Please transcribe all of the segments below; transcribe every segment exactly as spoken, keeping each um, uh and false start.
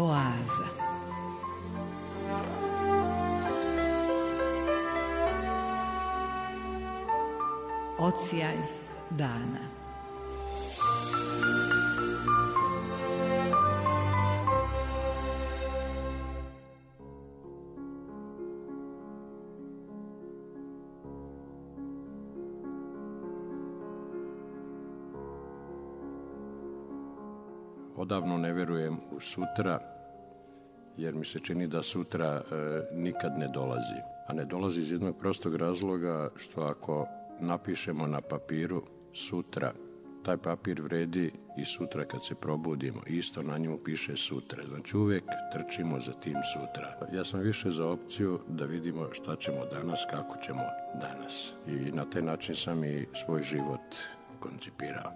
Oaza. Odsjaj dana. Odavno ne vjerujem u sutra, jer mi se čini da sutra e, nikad ne dolazi. A ne dolazi iz jednog prostog razloga što ako napišemo na papiru sutra, taj papir vredi i sutra kad se probudimo. Isto na njemu piše sutra. Znači uvijek trčimo za tim sutra. Ja sam više za opciju da vidimo šta ćemo danas, kako ćemo danas. I na taj način sam i svoj život koncipirao.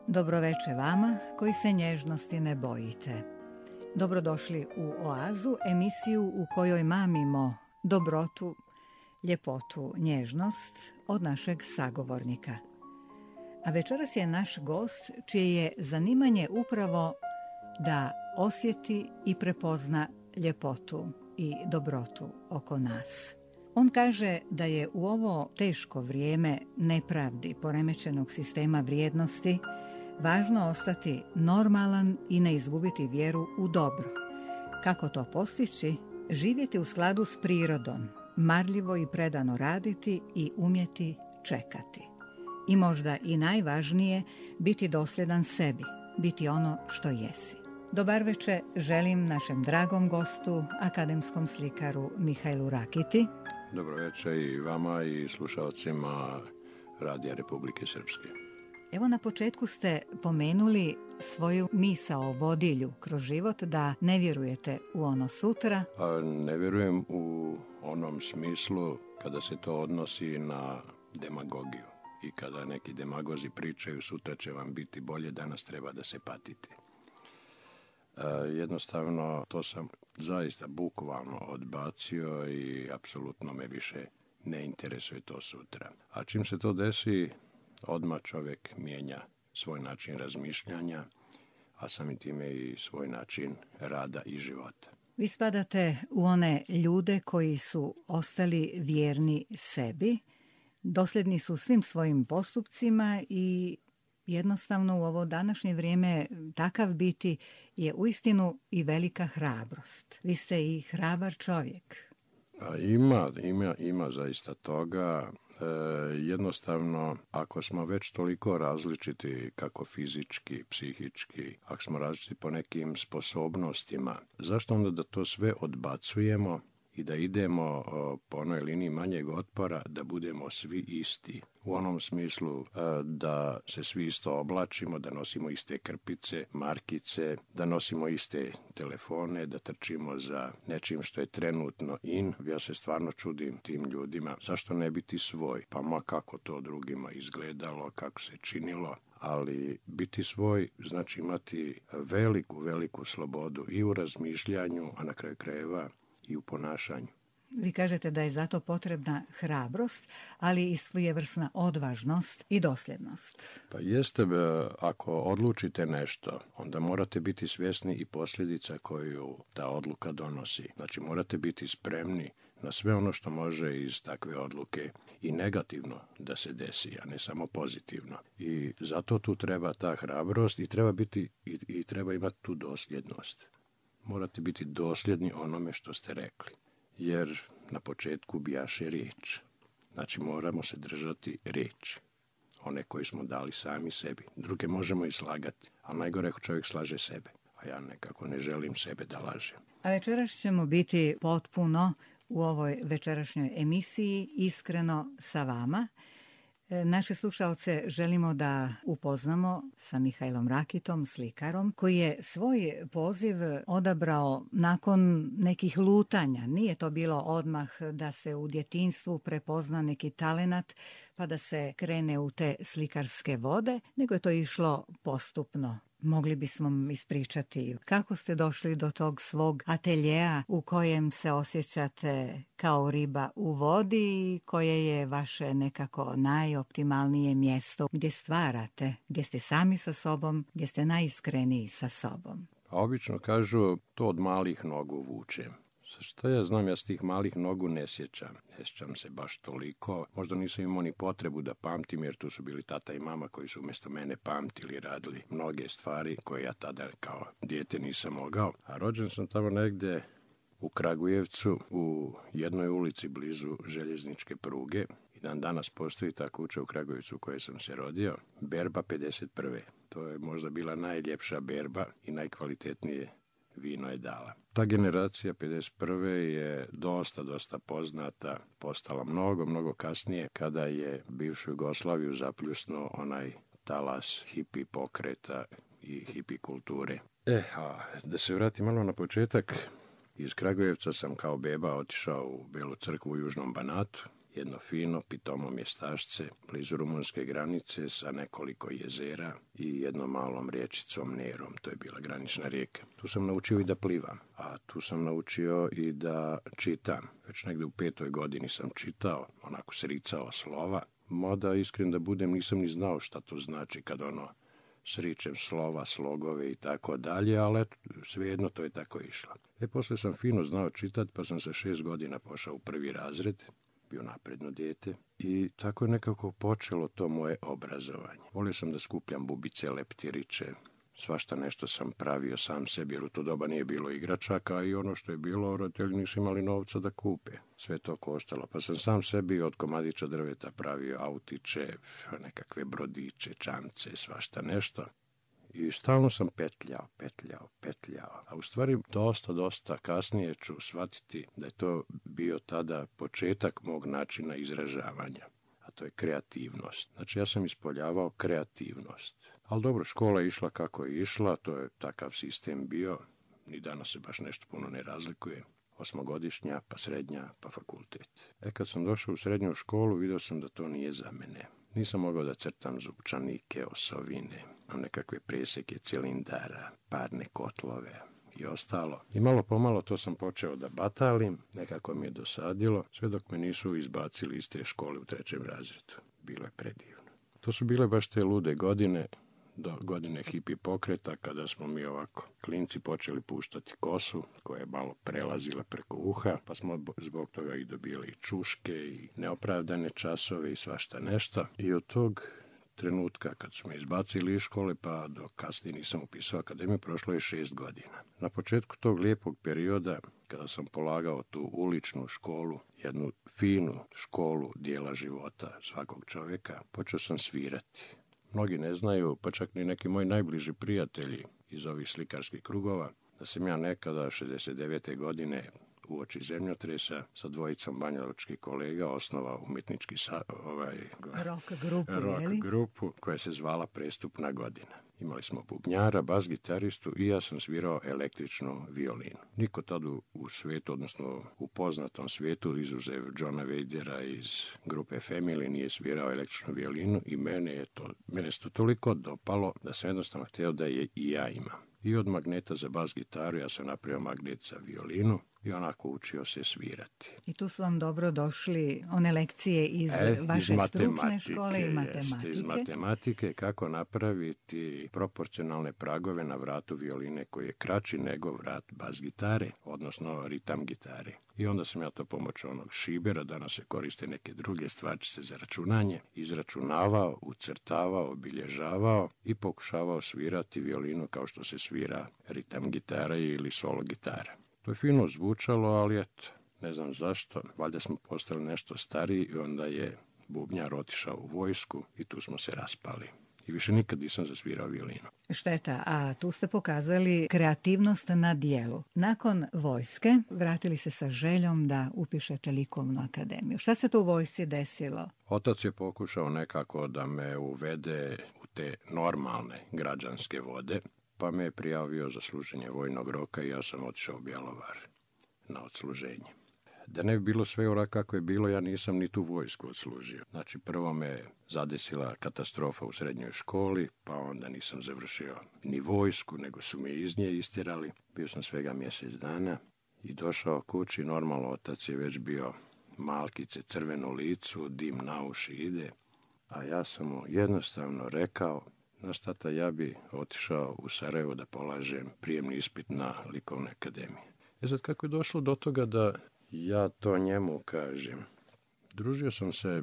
Dobroveče vama koji se nježnosti ne bojite. Dobrodošli u Oazu, emisiju u kojoj mamimo dobrotu, ljepotu, nježnost od našeg sagovornika. A večeras je naš gost čije je zanimanje upravo da osjeti i prepozna ljepotu i dobrotu oko nas. On kaže da je u ovo teško vrijeme nepravdi, poremećenog sistema vrijednosti, važno ostati normalan i ne izgubiti vjeru u dobro. Kako to postići? Živjeti u skladu s prirodom, marljivo i predano raditi i umjeti čekati. I možda i najvažnije, biti dosljedan sebi, biti ono što jesi. Dobar večer želim našem dragom gostu, akademskom slikaru Mihajlu Rakiti. Dobro večer i vama i slušalcima Radija Republike Srpske. Evo na početku ste pomenuli svoju misao vodilju kroz život da ne vjerujete u ono sutra. A ne vjerujem u onom smislu kada se to odnosi na demagogiju i kada neki demagozi pričaju sutra će vam biti bolje, danas treba da se patite. E, jednostavno to sam zaista bukvalno odbacio i apsolutno me više ne interesuje to sutra. A čim se to desi, odmah čovjek mijenja svoj način razmišljanja, a samim time i svoj način rada i života. Vi spadate u one ljude koji su ostali vjerni sebi, dosljedni su svim svojim postupcima i jednostavno u ovo današnje vrijeme takav biti je uistinu i velika hrabrost. Vi ste i hrabar čovjek. A ima, ima, ima zaista toga. E, jednostavno, ako smo već toliko različiti kako fizički, psihički, ako smo različiti po nekim sposobnostima, zašto onda da to sve odbacujemo i da idemo o, po onoj liniji manjeg otpora, da budemo svi isti? U onom smislu e, da se svi isto oblačimo, da nosimo iste krpice, markice, da nosimo iste telefone, da trčimo za nečim što je trenutno in. Ja se stvarno čudim tim ljudima. Zašto ne biti svoj? Pa ma kako to drugima izgledalo, kako se činilo. Ali biti svoj znači imati veliku, veliku slobodu i u razmišljanju, a na kraju krajeva i u ponašanju. Vi kažete da je zato potrebna hrabrost, ali i svojevrsna odvažnost i dosljednost. Pa jeste, ako odlučite nešto, onda morate biti svjesni i posljedica koju ta odluka donosi. Znači morate biti spremni na sve ono što može iz takve odluke i negativno da se desi, a ne samo pozitivno. I zato tu treba ta hrabrost i treba biti i, i treba imati tu dosljednost. Morate biti dosljedni onome što ste rekli. Jer na početku bijaše riječ. Znači moramo se držati riječi. One koje smo dali sami sebi. Druge možemo i slagati, ali najgore ako čovjek slaže sebe. A ja nekako ne želim sebe da lažem. A večeras ćemo biti potpuno u ovoj večerašnjoj emisiji iskreno sa vama. Naše slušalce želimo da upoznamo sa Mihajlom Rakitom, slikarom, koji je svoj poziv odabrao nakon nekih lutanja. Nije to bilo odmah da se u djetinjstvu prepozna neki talenat pa da se krene u te slikarske vode, nego je to išlo postupno. Mogli bismo ispričati kako ste došli do tog svog ateljeja u kojem se osjećate kao riba u vodi i koje je vaše nekako najoptimalnije mjesto gdje stvarate, gdje ste sami sa sobom, gdje ste najiskreniji sa sobom. A obično kažu to od malih nogu vučem. Što ja znam, ja s tih malih nogu ne sjećam. Ne sjećam se baš toliko. Možda nisam imao ni potrebu da pamtim, jer tu su bili tata i mama koji su umjesto mene pamtili, radili mnoge stvari koje ja tada kao dijete nisam mogao. A rođen sam tamo negdje u Kragujevcu, u jednoj ulici blizu željezničke pruge. I dan danas postoji ta kuća u Kragujevcu u kojoj sam se rodio. Berba pedeset prve. To je možda bila najljepša berba i najkvalitetnije vino je dala. Ta generacija pedeset prve je dosta, dosta poznata, postala mnogo, mnogo kasnije kada je bivšu Jugoslaviju zapljusnuo onaj talas hipi pokreta i hipi kulture. E, a da se vratim malo na početak, iz Kragujevca sam kao beba otišao u Belu crkvu u Južnom Banatu, jedno fino, pitomo mjestašce, blizu rumunske granice sa nekoliko jezera i jednom malom riječicom Nerom, to je bila granična rijeka. Tu sam naučio i da plivam, a tu sam naučio i da čitam. Već negdje u petoj godini sam čitao, onako sricao slova, mada iskren da budem nisam ni znao šta to znači kad ono sričem slova, slogove i tako dalje, ali eto, svejedno to je tako išlo. E, poslije sam fino znao čitati, pa sam sa šest godina pošao u prvi razred, bio napredno dijete i tako je nekako počelo to moje obrazovanje. Volio sam da skupljam bubice, leptiriće, svašta nešto sam pravio sam sebi, jer u to doba nije bilo igračaka i ono što je bilo, roditelji nisu imali novca da kupe. Sve to koštalo, pa sam sam sebi od komadića drveta pravio autiće, nekakve brodiće, čamce, svašta nešto. I stalno sam petljao, petljao, petljao. A u stvari dosta, dosta kasnije ću shvatiti da je to bio tada početak mog načina izražavanja. A to je kreativnost. Znači ja sam ispoljavao kreativnost. Ali dobro, škola je išla kako je išla, to je takav sistem bio. Ni danas se baš nešto puno ne razlikuje. Osmogodišnja, pa srednja, pa fakultet. E kad sam došao u srednju školu, vidio sam da to nije za mene. Nisam mogao da crtam zupčanike, osovine, nekakve preseke cilindara, parne kotlove i ostalo. I malo pomalo to sam počeo da batalim, nekako mi je dosadilo, sve dok me nisu izbacili iz te škole u trećem razredu. Bilo je predivno. To su bile baš te lude godine, do godine hipi pokreta, kada smo mi ovako klinci počeli puštati kosu, koja je malo prelazila preko uha, pa smo zbog toga i dobili i čuške i neopravdane časove i svašta nešto. I od tog trenutka kad su me izbacili iz škole pa do kasnije nisam upisao akademiju, prošlo je šest godina. Na početku tog lijepog perioda, kada sam polagao tu uličnu školu, jednu finu školu dijela života svakog čovjeka, počeo sam svirati. Mnogi ne znaju, pa čak ni neki moji najbliži prijatelji iz ovih slikarskih krugova, da sam ja nekada šezdeset devete godine uoči zemljotresa sa dvojicom banjalučkih kolega osnovao umjetnički sa, ovaj, rock grupu, rock grupu koja se zvala Prestupna godina. Imali smo bubnjara, bas gitaristu i ja sam svirao električnu violinu. Niko tada u svijetu, odnosno u poznatom svijetu, izuzev Johna Vadera iz grupe Family, nije svirao električnu violinu i mene je to, mene se to toliko dopalo da sam jednostavno htio da je i ja imam. I od magneta za bas gitaru ja sam napravio magnet za violinu i onako učio se svirati. I tu su vam dobro došli one lekcije iz e, vaše iz stručne škole i matematike. Iz matematike, kako napraviti proporcionalne pragove na vratu violine koji je kraći nego vrat bas gitare, odnosno ritam gitare. I onda sam ja to pomoću onog šibera, danas se koriste neke druge stvarčice za računanje, izračunavao, ucrtavao, obilježavao i pokušavao svirati violinu kao što se svira ritam gitara ili solo gitara. To je fino zvučalo, ali eto, ne znam zašto, valjda smo postali nešto stariji i onda je bubnjar otišao u vojsku i tu smo se raspali. I više nikad nisam zasvirao violinu. Šteta, a tu ste pokazali kreativnost na dijelu. Nakon vojske vratili se sa željom da upišete likovnu akademiju. Šta se tu u vojsci desilo? Otac je pokušao nekako da me uvede u te normalne građanske vode, pa me je prijavio za služenje vojnog roka i ja sam otišao u Bjelovar na odsluženje. Da ne bi bilo sve ovako kako je bilo, ja nisam ni tu vojsku odslužio. Znači, prvo me zadesila katastrofa u srednjoj školi, pa onda nisam završio ni vojsku, nego su me iz nje istjerali. Bio sam svega mjesec dana i došao kući, normalno otac je već bio malkice, crvenu licu, dim na uši ide, a ja sam mu jednostavno rekao, znaš tata, ja bi otišao u Sarajevo da polažem prijemni ispit na likovne akademije. E sad, kako je došlo do toga da ja to njemu kažem? Družio sam se e,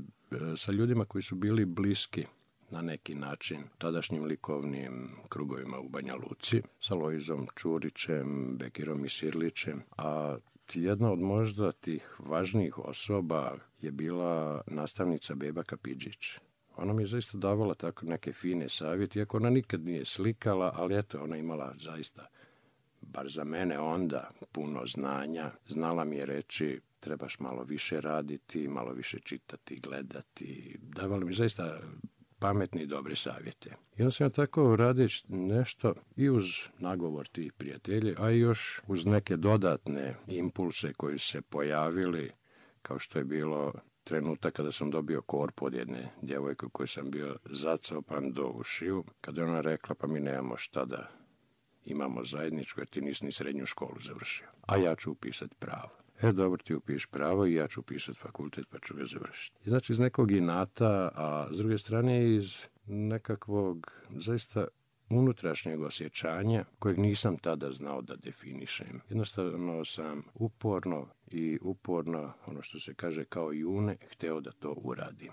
sa ljudima koji su bili bliski na neki način tadašnjim likovnim krugovima u Banja Luci, sa Lojzom Čurićem, Bekirom i Sirlićem, a jedna od možda tih važnijih osoba je bila nastavnica Beba Kapidžić. Ona mi je zaista davala tako neke fine savjete, iako ona nikad nije slikala, ali eto, ona imala zaista, bar za mene onda, puno znanja. Znala mi je reći, trebaš malo više raditi, malo više čitati, gledati. Davala mi zaista pametne i dobre savjete. I onda sam ja tako radeći nešto i uz nagovor tih prijatelji, a i još uz neke dodatne impulse koji se pojavili, kao što je bilo trenutak kada sam dobio korpu od jedne djevojke u kojoj sam bio zacopan do ušiju, kada je ona rekla, pa mi nemamo šta da imamo zajedničko, jer ti nisi ni srednju školu završio, a ja ću upisati pravo. E, dobro, ti upiš pravo i ja ću upisati fakultet, pa ću ga završiti. I znači iz nekog inata, a s druge strane iz nekakvog zaista unutrašnjeg osjećanja kojeg nisam tada znao da definišem. Jednostavno sam uporno i uporno, ono što se kaže kao june, hteo da to uradim.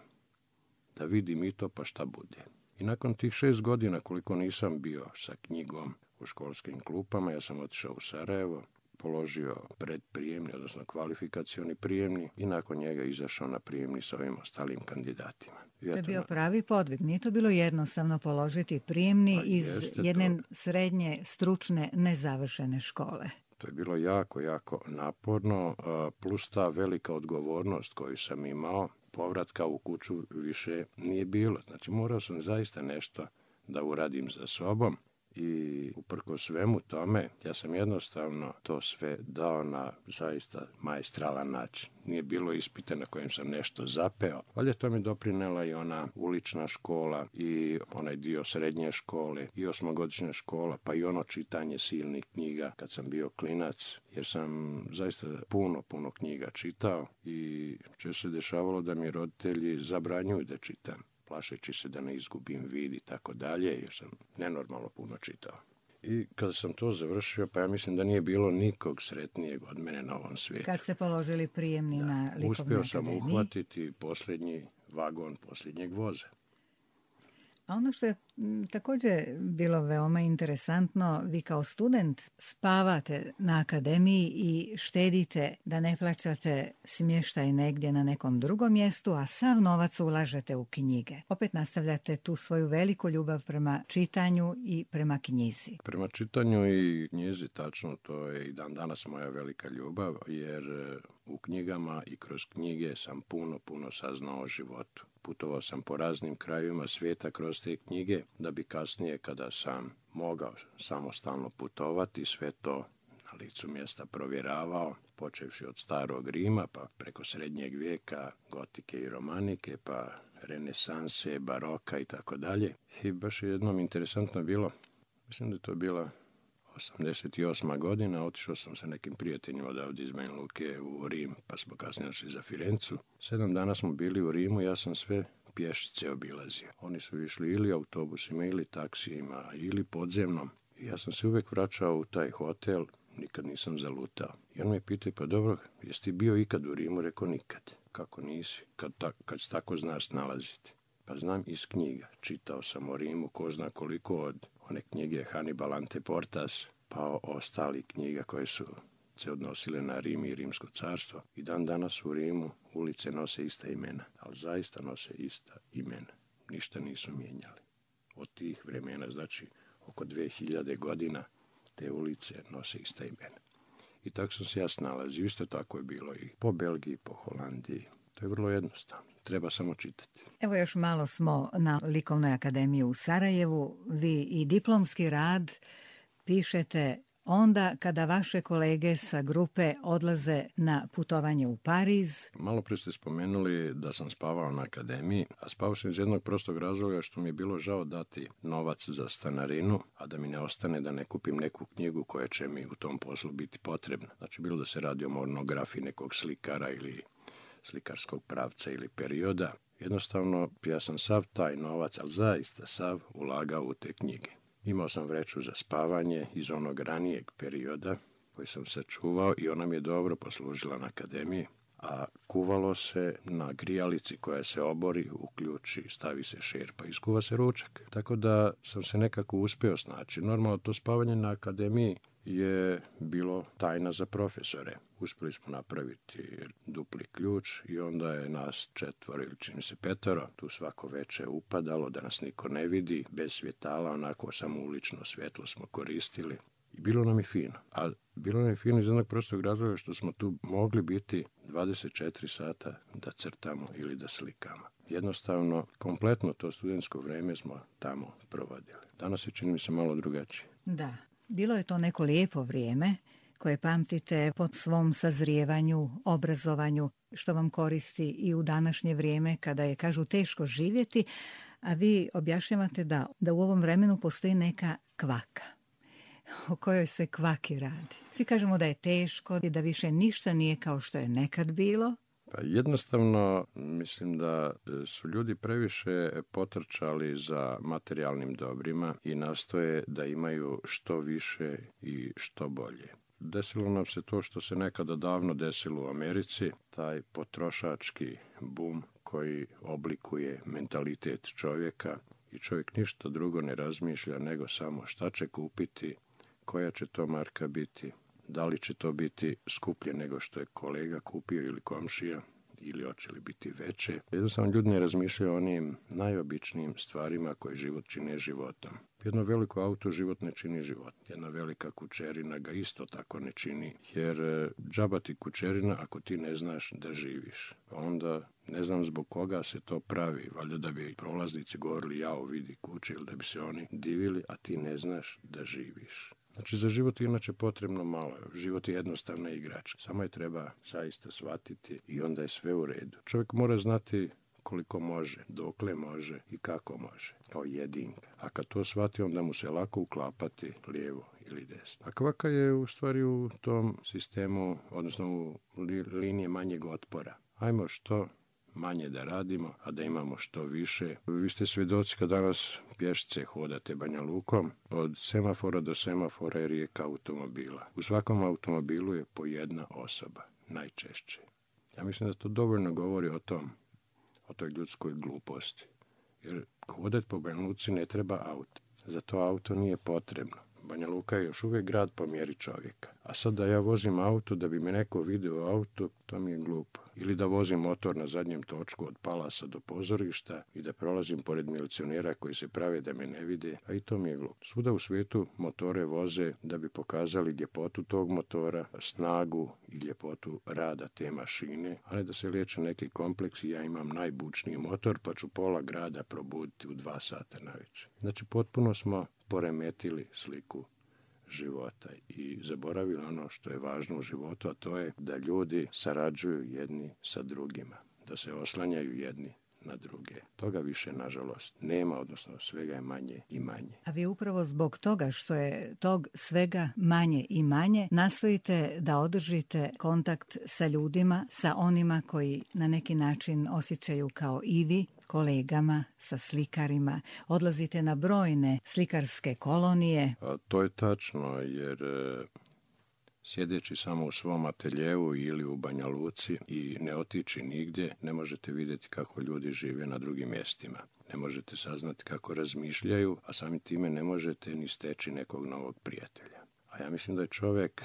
Da vidim i to, pa šta bude. I nakon tih šest godina koliko nisam bio sa knjigom u školskim klupama, ja sam otišao u Sarajevo, položio predprijemni, odnosno kvalifikacioni prijemni i nakon njega izašao na prijemni s ovim ostalim kandidatima. To je bio pravi podvig. Nije to bilo jednostavno položiti prijemni pa iz jedne to srednje, stručne, nezavršene škole. To je bilo jako, jako naporno, plus ta velika odgovornost koju sam imao, povratka u kuću više nije bilo. Znači, morao sam zaista nešto da uradim za sobom. I uprko svemu tome, ja sam jednostavno to sve dao na zaista maestralan način. Nije bilo ispita na kojem sam nešto zapeo, ali to mi doprinela i ona ulična škola i onaj dio srednje škole i osmogodišnja škola, pa i ono čitanje silnih knjiga kad sam bio klinac, jer sam zaista puno, puno knjiga čitao i često se dešavalo da mi roditelji zabranjuju da čitam, plašeći se da ne izgubim vid i tako dalje, jer sam nenormalno puno čitao. I kada sam to završio, pa ja mislim da nije bilo nikog sretnijeg od mene na ovom svijetu. Kad ste položili prijemni da, na likovnoj uspio sam akademiji. uhvatiti posljednji vagon posljednjeg voza. A ono što je m, također bilo veoma interesantno, vi kao student spavate na akademiji i štedite da ne plaćate smještaj negdje na nekom drugom mjestu, a sav novac ulažete u knjige. Opet nastavljate tu svoju veliku ljubav prema čitanju i prema knjizi. Prema čitanju i knjizi, tačno, to je i dan danas moja velika ljubav, jer u knjigama i kroz knjige sam puno, puno saznao o životu. Putovao sam po raznim krajevima svijeta kroz te knjige, da bi kasnije, kada sam mogao samostalno putovati, sve to na licu mjesta provjeravao, počevši od starog Rima, pa preko srednjeg vijeka, gotike i romanike, pa renesanse, baroka i tako dalje. I baš je jednom interesantno bilo, mislim da je to bila osamdeset osma godina, otišao sam sa nekim prijateljima odavde iz Banja Luke u Rim, pa smo kasnije došli za Firencu. Sedam dana smo bili u Rimu, ja sam sve pješice obilazio. Oni su išli ili autobusima, ili taksijima, ili podzemnom. I ja sam se uvijek vraćao u taj hotel, nikad nisam zalutao. I on me pitao, pa dobro, jesi ti bio ikad u Rimu? Rekao, nikad. Kako nisi? Kad, ta, kad se tako znaš snalaziti? Pa znam iz knjiga. Čitao sam o Rimu, ko zna koliko, od one knjige Hannibal Ante Portas, pa o ostali knjiga koje su se odnosile na Rim i Rimsko carstvo. I dan danas u Rimu ulice nose ista imena, ali zaista nose ista imena. Ništa nisu mijenjali. Od tih vremena, znači oko dve hiljade godina, te ulice nose ista imena. I tako sam se ja snalazio. Isto tako je bilo i po Belgiji, po Holandiji. To je vrlo jednostavno. Treba samo čitati. Evo još malo smo na Likovnoj akademiji u Sarajevu. Vi i diplomski rad pišete onda kada vaše kolege sa grupe odlaze na putovanje u Pariz? Malo prije ste spomenuli da sam spavao na akademiji, a spavao sam iz jednog prostog razloga što mi je bilo žao dati novac za stanarinu, a da mi ne ostane da ne kupim neku knjigu koja će mi u tom poslu biti potrebna. Znači, bilo da se radi o monografiji nekog slikara ili slikarskog pravca ili perioda. Jednostavno, ja sam sav taj novac, ali zaista sav, ulagao u te knjige. Imao sam vreću za spavanje iz onog ranijeg perioda koji sam sačuvao i ona mi je dobro poslužila na akademiji, a kuvalo se na grijalici koja se obori, uključi, stavi se šerpa i iskuva se ručak. Tako da sam se nekako uspio snaći. Normalno, to spavanje na akademiji je bilo tajna za profesore. Uspjeli smo napraviti dupli ključ i onda je nas četvoro ili čini se petoro tu svako veče upadalo da nas niko ne vidi, bez svjetala, onako samo ulično svjetlo smo koristili. I bilo nam je fino. A bilo nam je fino iz jednog prostog razloga što smo tu mogli biti dvadeset četiri sata da crtamo ili da slikamo. Jednostavno, kompletno to studentsko vrijeme smo tamo provodili. Danas je, čini mi se, malo drugačije. Da. Bilo je to neko lijepo vrijeme koje pamtite po svom sazrijevanju, obrazovanju, što vam koristi i u današnje vrijeme kada je, kažu, teško živjeti, a vi objašnjavate da, da u ovom vremenu postoji neka kvaka. O kojoj se kvaki radi? Svi kažemo da je teško i da više ništa nije kao što je nekad bilo. Pa jednostavno, mislim da su ljudi previše potrčali za materijalnim dobrima i nastoje da imaju što više i što bolje. Desilo nam se to što se nekada davno desilo u Americi, taj potrošački bum koji oblikuje mentalitet čovjeka i čovjek ništa drugo ne razmišlja nego samo šta će kupiti, koja će to marka biti, da li će to biti skuplje nego što je kolega kupio ili komšija, ili hoće li biti veće. Jednostavno, ljudi ne razmišljaju o onim najobičnijim stvarima koje život čine životom. Jedno veliko auto život ne čini život. Jedna velika kućerina ga isto tako ne čini, jer džaba ti kućerina ako ti ne znaš da živiš. Onda ne znam zbog koga se to pravi. Valjda da bi prolaznici govorili jao vidi kuće ili da bi se oni divili, a ti ne znaš da živiš. Znači, za život je inače potrebno malo. Život je jednostavna igračka. Samo je treba zaista shvatiti i onda je sve u redu. Čovjek mora znati koliko može, dokle može i kako može, kao jedinka. A kad to shvati, onda mu se lako uklapati lijevo ili desno. A kvaka je u stvari u tom sistemu, odnosno u li, linije manjeg otpora. Ajmo što manje da radimo, a da imamo što više. Vi ste svjedoci kad danas pješce hodate Banja Lukom, od semafora do semafora je rijeka automobila. U svakom automobilu je po jedna osoba, najčešće. Ja mislim da to dovoljno govori o tom, o toj ljudskoj gluposti. Jer hodati po Banja Luci ne treba auto. Za to auto nije potrebno. Banja Luka je još uvijek grad po mjeri čovjeka. A sad da ja vozim auto da bi me neko vidio auto, to mi je glupo. Ili da vozim motor na zadnjem točku od Palasa do pozorišta i da prolazim pored milicionera koji se prave da me ne vide, a i to mi je glupo. Svuda u svijetu motore voze da bi pokazali ljepotu tog motora, snagu i ljepotu rada te mašine, a ne da se liječe neki kompleksi, ja imam najbučniji motor pa ću pola grada probuditi u dva sata navečer. Znači, potpuno smo poremetili sliku života i zaboravili ono što je važno u životu, a to je da ljudi sarađuju jedni sa drugima, da se oslanjaju jedni na druge. Toga više, nažalost, nema, odnosno svega je manje i manje. A vi upravo zbog toga što je tog svega manje i manje, nastojite da održite kontakt sa ljudima, sa onima koji na neki način osjećaju kao i vi, kolegama, sa slikarima. Odlazite na brojne slikarske kolonije. A to je tačno, jer sjedeći samo u svom ateljevu ili u Banja Luci i ne otići nigdje, ne možete vidjeti kako ljudi žive na drugim mjestima. Ne možete saznati kako razmišljaju, a samim time ne možete ni steći nekog novog prijatelja. A ja mislim da je čovjek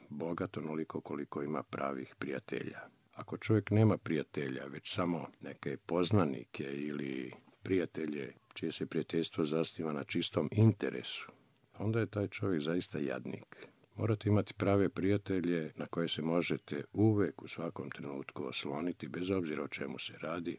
bogat onoliko koliko ima pravih prijatelja. Ako čovjek nema prijatelja, već samo neke poznanike ili prijatelje čije se prijateljstvo zasniva na čistom interesu, onda je taj čovjek zaista jadnik. Morate imati prave prijatelje na koje se možete uvijek u svakom trenutku osloniti, bez obzira o čemu se radi,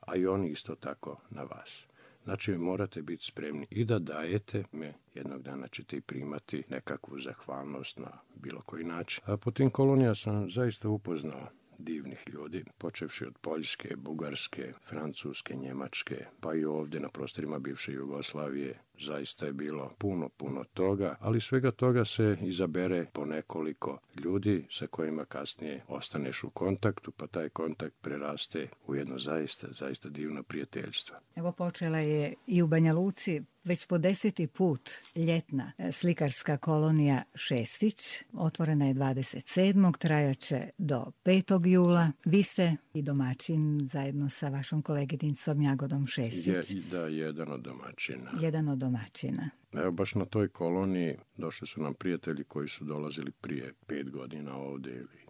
a i oni isto tako na vas. Znači, morate biti spremni i da dajete, me jednog dana ćete i primati nekakvu zahvalnost na bilo koji način. A po tim kolonija sam zaista upoznao divnih ljudi, počevši od Poljske, Bugarske, Francuske, Njemačke, pa i ovdje na prostorima bivše Jugoslavije. Zaista je bilo puno, puno toga, ali svega toga se izabere po nekoliko ljudi sa kojima kasnije ostaneš u kontaktu, pa taj kontakt preraste u jedno zaista, zaista divno prijateljstvo. Evo počela je i u Banja Luci već po deseti put ljetna slikarska kolonija Šestić. Otvorena je dvadeset sedmog trajaće do petog jula. Vi ste i domaćin zajedno sa vašom koleginicom Jagodom Šestić. Je, da, jedan od domaćina. Jedan od domaćina. Evo, baš na toj koloniji došli su nam prijatelji koji su dolazili prije pet godina ovdje ili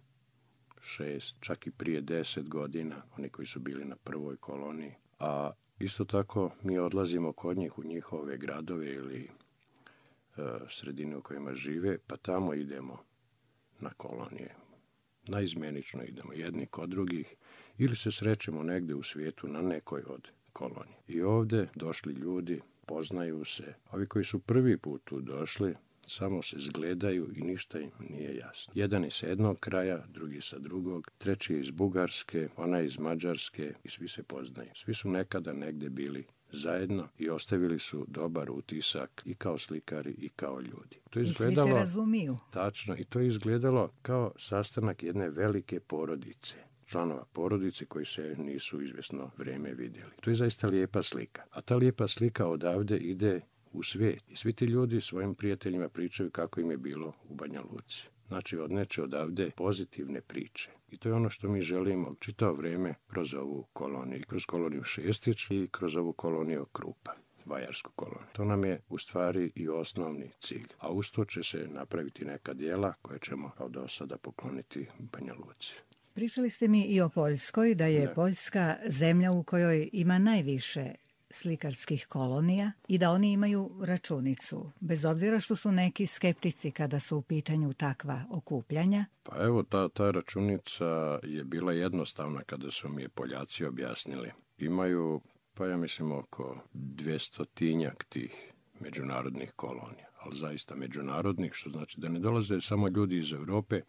šest, čak i prije deset godina, oni koji su bili na prvoj koloniji. A isto tako mi odlazimo kod njih u njihove gradove ili e, sredine u kojima žive, pa tamo idemo na kolonije. Naizmjenično idemo jedni kod drugih ili se srećemo negdje u svijetu na nekoj od kolonije. I ovdje došli ljudi, poznaju se. Ovi koji su prvi put tu došli, samo se zgledaju i ništa im nije jasno. Jedan je sa jednog kraja, drugi sa drugog, treći je iz Bugarske, ona je iz Mađarske i svi se poznaju. Svi su nekada negdje bili zajedno i ostavili su dobar utisak i kao slikari i kao ljudi. To je izgledalo, i svi se razumiju. Tačno, i to je izgledalo kao sastanak jedne velike porodice. Članova porodice koji se nisu izvjesno vrijeme vidjeli. To je zaista lijepa slika. A ta lijepa slika odavde ide u svijet. I svi ti ljudi svojim prijateljima pričaju kako im je bilo u Banja Luci. Znači, odneće odavde pozitivne priče. I to je ono što mi želimo čitavo vrijeme kroz ovu koloniju. Kroz koloniju Šestić i kroz ovu koloniju Krupa. Vajarsku koloniju. To nam je u stvari i osnovni cilj. A uz to će se napraviti neka djela koje ćemo kao do sada pokloniti Banja Luci. Pričali ste mi i o Poljskoj, da je ne. Poljska zemlja u kojoj ima najviše slikarskih kolonija i da oni imaju računicu, bez obzira što su neki skeptici kada su u pitanju takva okupljanja. Pa evo, ta, ta računica je bila jednostavna kada su mi je Poljaci objasnili. Imaju, pa ja mislim, oko dvjestotinjak tih međunarodnih kolonija, ali zaista međunarodnih, što znači da ne dolaze samo ljudi iz Europe,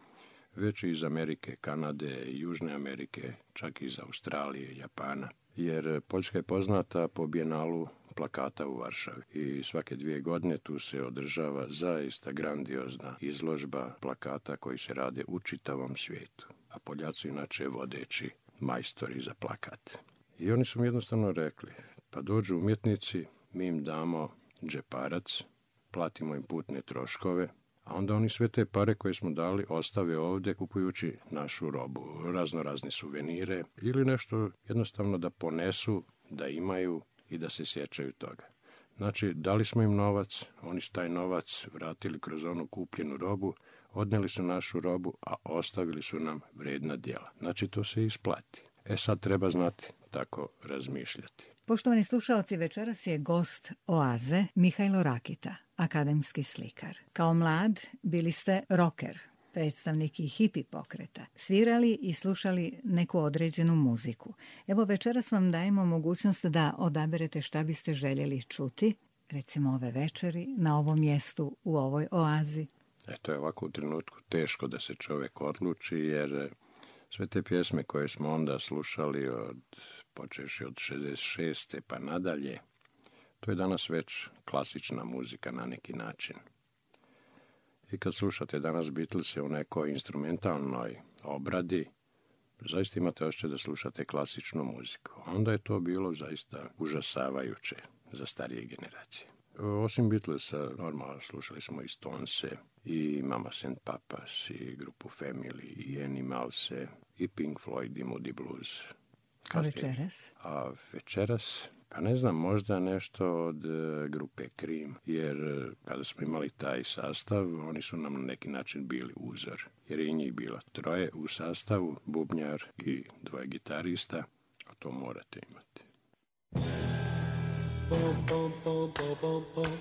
već i iz Amerike, Kanade, Južne Amerike, čak i iz Australije, Japana. Jer Poljska je poznata po bijenalu plakata u Varšavi i svake dvije godine tu se održava zaista grandiozna izložba plakata koji se rade u čitavom svijetu. A Poljaci inače vodeći majstori za plakat. I oni su mi jednostavno rekli, pa dođu umjetnici, mi im damo džeparac, platimo im putne troškove, a onda oni sve te pare koje smo dali ostave ovdje kupujući našu robu, razno razne suvenire ili nešto jednostavno da ponesu, da imaju i da se sjećaju toga. Znači, dali smo im novac, oni su taj novac vratili kroz onu kupljenu robu, odnijeli su našu robu, a ostavili su nam vrijedna djela. Znači, to se isplati. E sad treba znati tako razmišljati. Poštovani slušalci, večeras je gost Oaze Mihajlo Rakita, akademski slikar. Kao mlad bili ste rocker, predstavnik i hipi pokreta, svirali i slušali neku određenu muziku. Evo, večeras vam dajemo mogućnost da odaberete šta biste željeli čuti, recimo ove večeri, na ovom mjestu, u ovoj oazi. Eto je ovako u trenutku teško da se čovjek odluči, jer sve te pjesme koje smo onda slušali od počeši od šezdeset šeste pa nadalje, to je danas već klasična muzika na neki način. I kad slušate danas Beatlese u nekoj instrumentalnoj obradi, zaista imate osjećaj da slušate klasičnu muziku. Onda je to bilo zaista užasavajuće za starije generacije. Osim Beatlesa, normalno slušali smo i Stonese, i Mama and Papas, i grupu Family, i Animalse, i Pink Floyd, i Moody Blues. A večeras? A večeras, pa ne znam, možda nešto od uh, grupe Cream, jer uh, kada smo imali taj sastav, oni su nam na neki način bili uzor. Jer je njih bilo troje u sastavu, bubnjar i dvoje gitarista, a to morate imati. Bum, bum, bum, bum, bum, bum.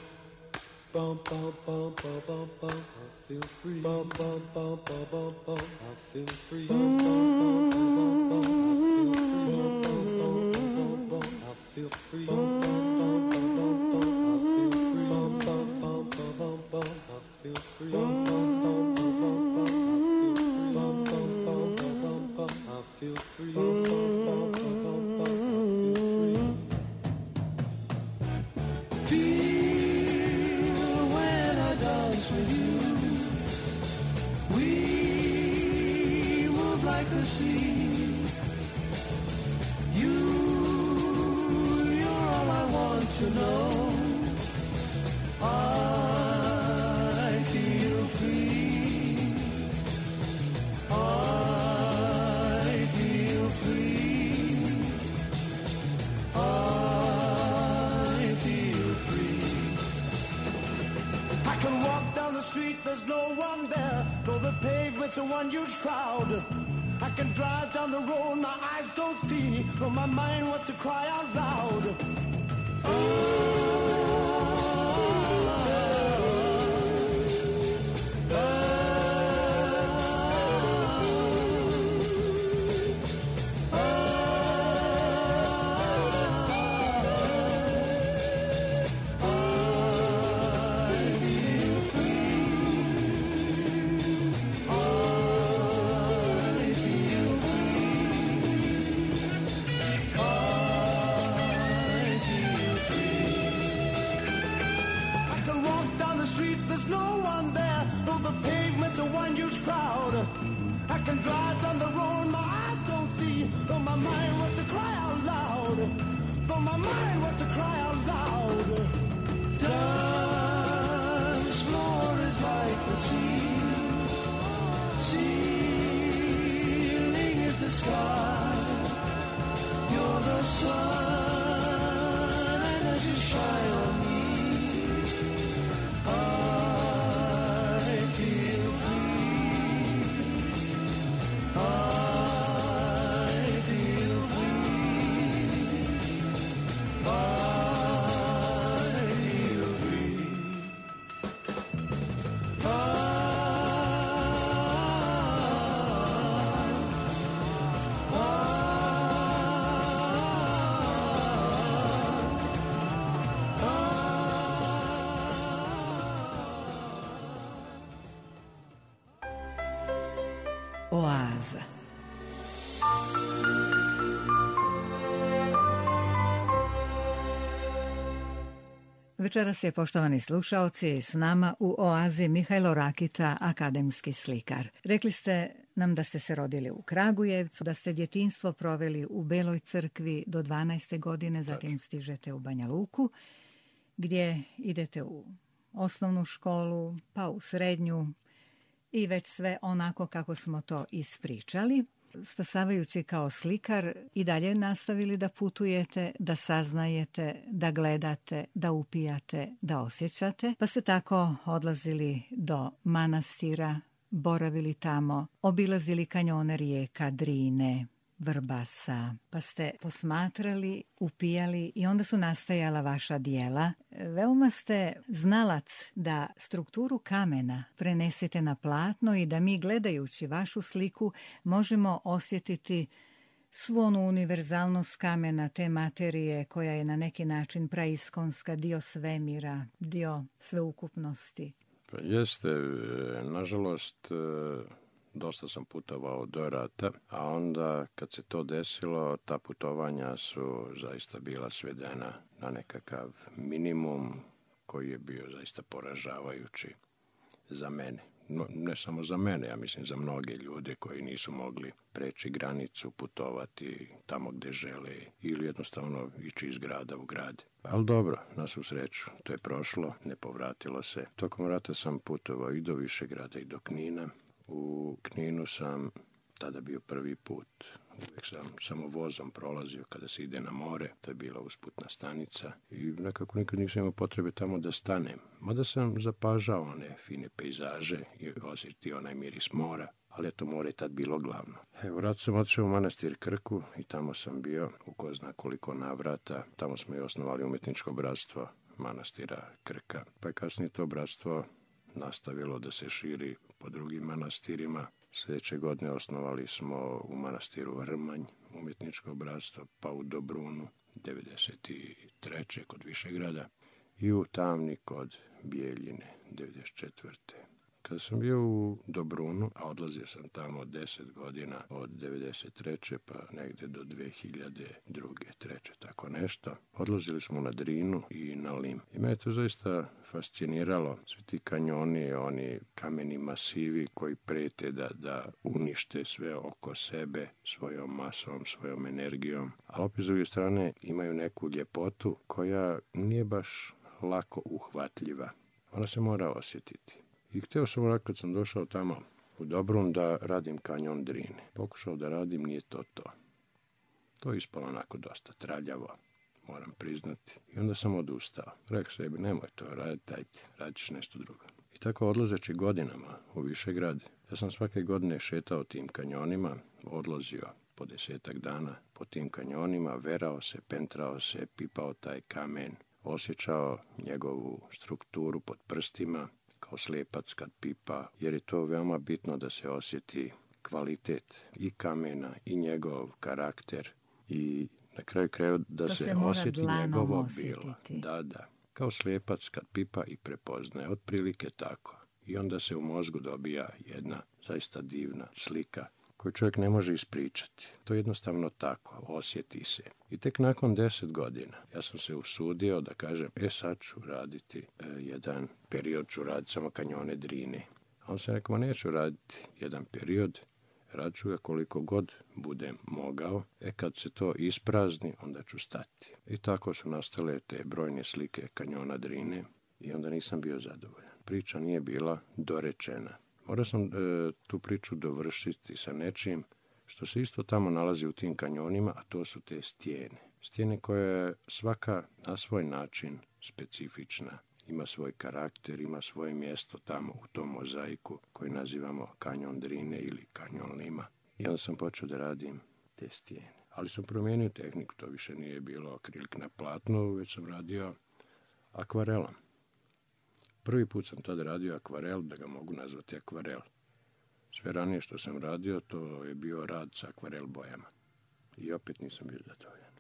Bum, bum, bum, bum, bum, bum. I feel free. Bum, bum, bum, bum, bum, bum. I feel free. Bum, bum, bum, bum, bum, bum. I feel free. Bum, bum, bum, bum, bum. I feel free. Bum, bum, bum. walk down the street, there's no one there, though the pavement's a one huge crowd. I can drive down the road, my eyes don't see, but my mind wants to cry out loud. There's no one there, though the pavement's a one huge crowd. I can drive down the road, my eyes don't see, though my mind wants to cry out loud. Though my mind wants to cry out loud. Dance floor is like the sea, ceiling is the sky. You're the sun, and as you shine on me, Oaza. Večeras je, poštovani slušaoci, s nama u Oazi Mihajlo Rakita, akademski slikar. Rekli ste nam da ste se rodili u Kragujevcu, da ste djetinjstvo proveli u Beloj crkvi do dvanaeste godine, zatim stižete u Banja Luku, gdje idete u osnovnu školu, pa u srednju, i već sve onako kako smo to ispričali. Stasavajući kao slikar i dalje nastavili da putujete, da saznajete, da gledate, da upijate, da osjećate. Pa ste tako odlazili do manastira, boravili tamo, obilazili kanjone rijeka Drine, Vrbasa, pa ste posmatrali, upijali i onda su nastajala vaša dijela. Veoma ste znalac da strukturu kamena prenesete na platno i da mi, gledajući vašu sliku, možemo osjetiti svu onu univerzalnost kamena, te materije koja je na neki način praiskonska, dio svemira, dio sveukupnosti. Pa jeste, nažalost, dosta sam putovao do rata, a onda kad se to desilo, ta putovanja su zaista bila svedena na nekakav minimum koji je bio zaista poražavajući za mene. No, ne samo za mene, ja mislim za mnoge ljude koji nisu mogli preći granicu, putovati tamo gde žele ili jednostavno ići iz grada u grad. Ali dobro, na svu sreću, to je prošlo, ne povratilo se. Tokom rata sam putovao i do Višegrada i do Knina. U Kninu sam tada bio prvi put. Uvijek sam samo vozom prolazio kada se ide na more. To je bila usputna stanica. I nekako nikad nisam imao potrebe tamo da stanem. Mada sam zapažao one fine pejzaže i osjetio onaj miris mora. Ali eto, more je tad bilo glavno. Evo, rad sam otišao u manastir Krku i tamo sam bio u ko zna koliko navrata. Tamo smo i osnovali umjetničko bratstvo manastira Krka. Pa je kasnije to bratstvo nastavilo da se širi po drugim manastirima. Sljedeće godine osnovali smo u manastiru Vrmanj umjetničko bratstvo, pa u Dobrunu devedeset treće kod Višegrada i u Tamni kod Bijeljine devedeset četvrte Kada sam bio u Dobrunu, a odlazio sam tamo deset godina, od devedeset treće pa negde do dve hiljade druge, treće, tako nešto, odlazili smo na Drinu i na Lim. I me je to zaista fasciniralo. Svi ti kanjoni, oni kameni masivi koji prete da, da unište sve oko sebe svojom masom, svojom energijom. Ali opet s druge strane imaju neku ljepotu koja nije baš lako uhvatljiva. Ona se mora osjetiti. I htio sam onako kad sam došao tamo u Dobrun da radim kanjon Drine. Pokušao da radim, nije to to. To je ispalo onako dosta traljavo, moram priznati. I onda sam odustao. Rekao sebi, nemoj to raditi, ajde, radiš nešto drugo. I tako odlazeći godinama u Višegrad, ja sam svake godine šetao tim kanjonima, odlazio po desetak dana po tim kanjonima, verao se, pentrao se, pipao taj kamen, osjećao njegovu strukturu pod prstima, kao slijepac kad pipa, jer je to veoma bitno da se osjeti kvalitet i kamena i njegov karakter i na kraju krajeva da to se, se osjeti njegovo osjetiti. bilo. Da, da. Kao slijepac kad pipa i prepoznaje, otprilike tako. I onda se u mozgu dobija jedna zaista divna slika koju čovjek ne može ispričati. To je jednostavno tako, osjeti se. I tek nakon deset godina ja sam se usudio da kažem, e sad ću raditi e, jedan period, ću raditi samo kanjone Drine. A on se rekao, neću raditi jedan period, radit ću ga koliko god budem mogao, e kad se to isprazni, onda ću stati. I tako su nastale te brojne slike kanjona Drine i onda nisam bio zadovoljan. Priča nije bila dorečena. Morao sam e, tu priču dovršiti sa nečim što se isto tamo nalazi u tim kanjonima, a to su te stijene. Stijene koje je svaka na svoj način specifična. Ima svoj karakter, ima svoje mjesto tamo u tom mozaiku koji nazivamo kanjon Drine ili kanjon Lima. I onda sam počeo da radim te stijene. Ali sam promijenio tehniku, to više nije bilo akrilik na platnu, već sam radio akvarelom. Prvi put sam tad radio akvarel, da ga mogu nazvati akvarel. Sve ranije što sam radio, to je bio rad sa akvarel bojama. I opet nisam bio zadovoljan.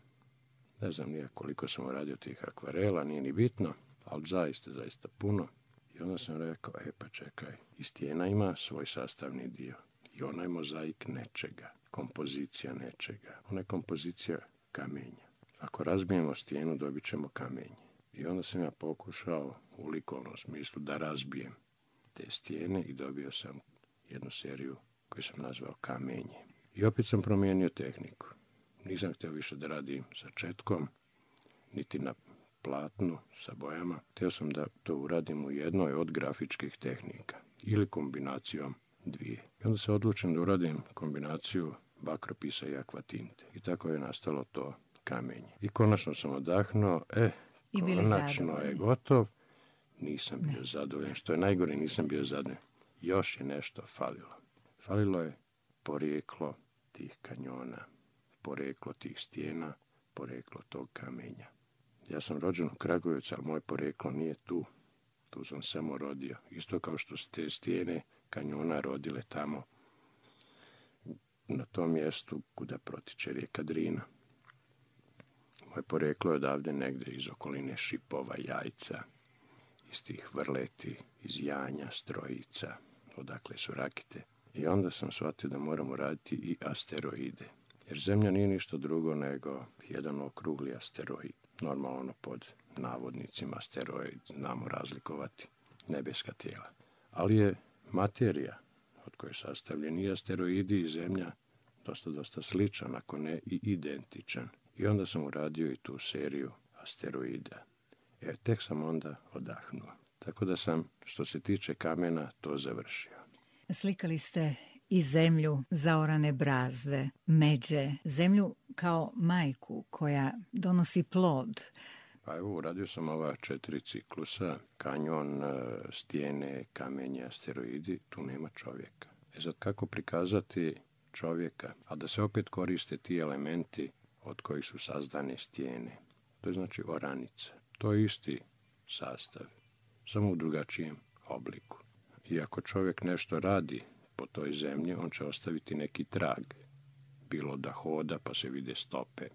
Ne znam nije koliko sam radio tih akvarela, nije ni bitno, ali zaista, zaista puno. I onda sam rekao, e pa čekaj, i stijena ima svoj sastavni dio. I ona je mozaik nečega, kompozicija nečega. Ona je kompozicija kamenja. Ako razbijemo stijenu, dobit ćemo kamenje. I onda sam ja pokušao u likovnom smislu da razbijem te stijene i dobio sam jednu seriju koju sam nazvao Kamenje. I opet sam promijenio tehniku. Nisam htio više da radim sa četkom, niti na platnu sa bojama. Htio sam da to uradim u jednoj od grafičkih tehnika ili kombinacijom dvije. I onda se odlučim da uradim kombinaciju bakropisa i akvatinte. I tako je nastalo to Kamenje. I konačno sam odahnuo, e, I konačno je gotov. Nisam bio ne. zadovoljan. Što je najgore, nisam bio zadovoljan. Još je nešto falilo. Falilo je porijeklo tih kanjona, porijeklo tih stijena, porijeklo tog kamenja. Ja sam rođen u Kragujevcu, ali moje porijeklo nije tu. Tu sam samo rodio. Isto kao što su te stijene kanjona rodile tamo, na tom mjestu kuda protiče rijeka Drina. Moje porijeklo je odavde negde iz okoline Šipova, Jajca, iz tih Vrleti, iz Janja, Strojica, odakle su Rakite. I onda sam shvatio da moramo raditi i asteroide. Jer Zemlja nije ništa drugo nego jedan okrugli asteroid. Normalno pod navodnicima asteroid znamo razlikovati nebeska tijela. Ali je materija od koje je sastavljen i asteroidi i Zemlja dosta, dosta sličan, ako ne i identičan. I onda sam uradio i tu seriju asteroida. Jer tek sam onda odahnuo. Tako da sam, što se tiče kamena, to završio. Slikali ste i zemlju zaorane brazde, međe, zemlju kao majku koja donosi plod. Pa evo, uradio sam ova četiri ciklusa, kanjon, stijene, kamenje, asteroidi, tu nema čovjeka. E sad, kako prikazati čovjeka, a da se opet koriste ti elementi od kojih su sazdane stijene. To je znači oranica. To je isti sastav, samo u drugačijem obliku. I ako čovjek nešto radi po toj zemlji, on će ostaviti neki trag. Bilo da hoda pa se vide stope,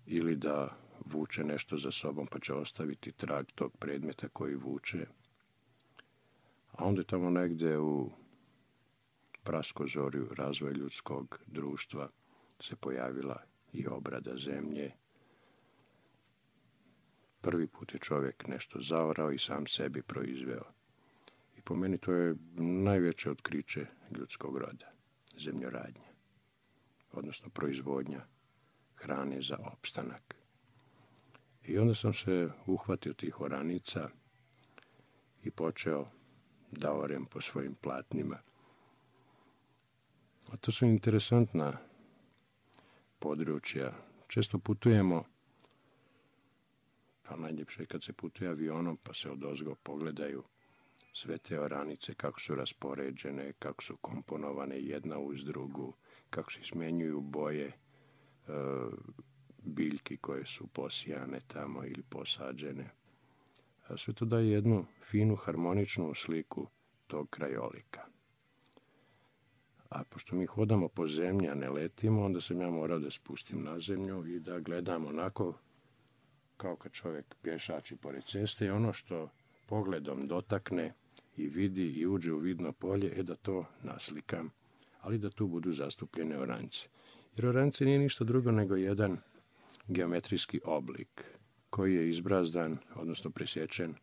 ili da vuče nešto za sobom pa će ostaviti trag tog predmeta koji vuče. A onda tamo negde u praskozorju razvoja ljudskog društva se pojavila i obrada zemlje. Prvi put je čovjek nešto zaorao i sam sebi proizveo. I po meni to je najveće otkriće ljudskog roda, zemljoradnja, odnosno proizvodnja hrane za opstanak. I onda sam se uhvatio tih oranica i počeo da orem po svojim platnima. A to su interesantna područja. Često putujemo, pa najljepše je kad se putuje avionom, pa se odozgo pogledaju sve te oranice, kako su raspoređene, kako su komponovane jedna uz drugu, kako se izmenjuju boje e, biljki koje su posijane tamo ili posađene. A sve to daje jednu finu, harmoničnu sliku tog krajolika. A pošto mi hodamo po zemlji, a ne letimo, onda sam ja morao da spustim na zemlju i da gledam onako kao kad čovjek pješači pored ceste i ono što pogledom dotakne i vidi i uđe u vidno polje, je da to naslikam, ali da tu budu zastupljene oranice. Jer oranice nije ništa drugo nego jedan geometrijski oblik koji je izbrazdan, odnosno presječen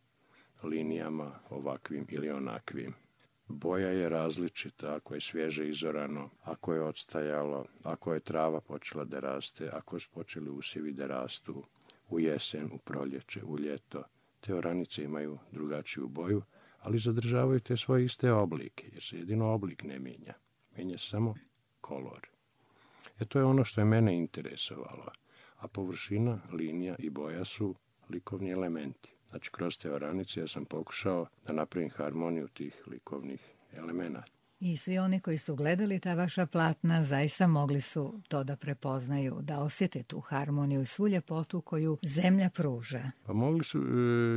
linijama ovakvim ili onakvim. Boja je različita, ako je svježe izorano, ako je odstajalo, ako je trava počela da raste, ako su počeli usjevi da rastu u jesen, u proljeće, u ljeto. Te oranice imaju drugačiju boju, ali zadržavaju te svoje iste oblike, jer se jedino oblik ne mijenja. Mijenja se samo kolor. E to je ono što je mene interesovalo. A površina, linija i boja su likovni elementi. Znači, kroz te oranice ja sam pokušao da napravim harmoniju tih likovnih elemenata. I svi oni koji su gledali ta vaša platna zaista mogli su to da prepoznaju, da osjete tu harmoniju i svu ljepotu koju zemlja pruža. Pa mogli su,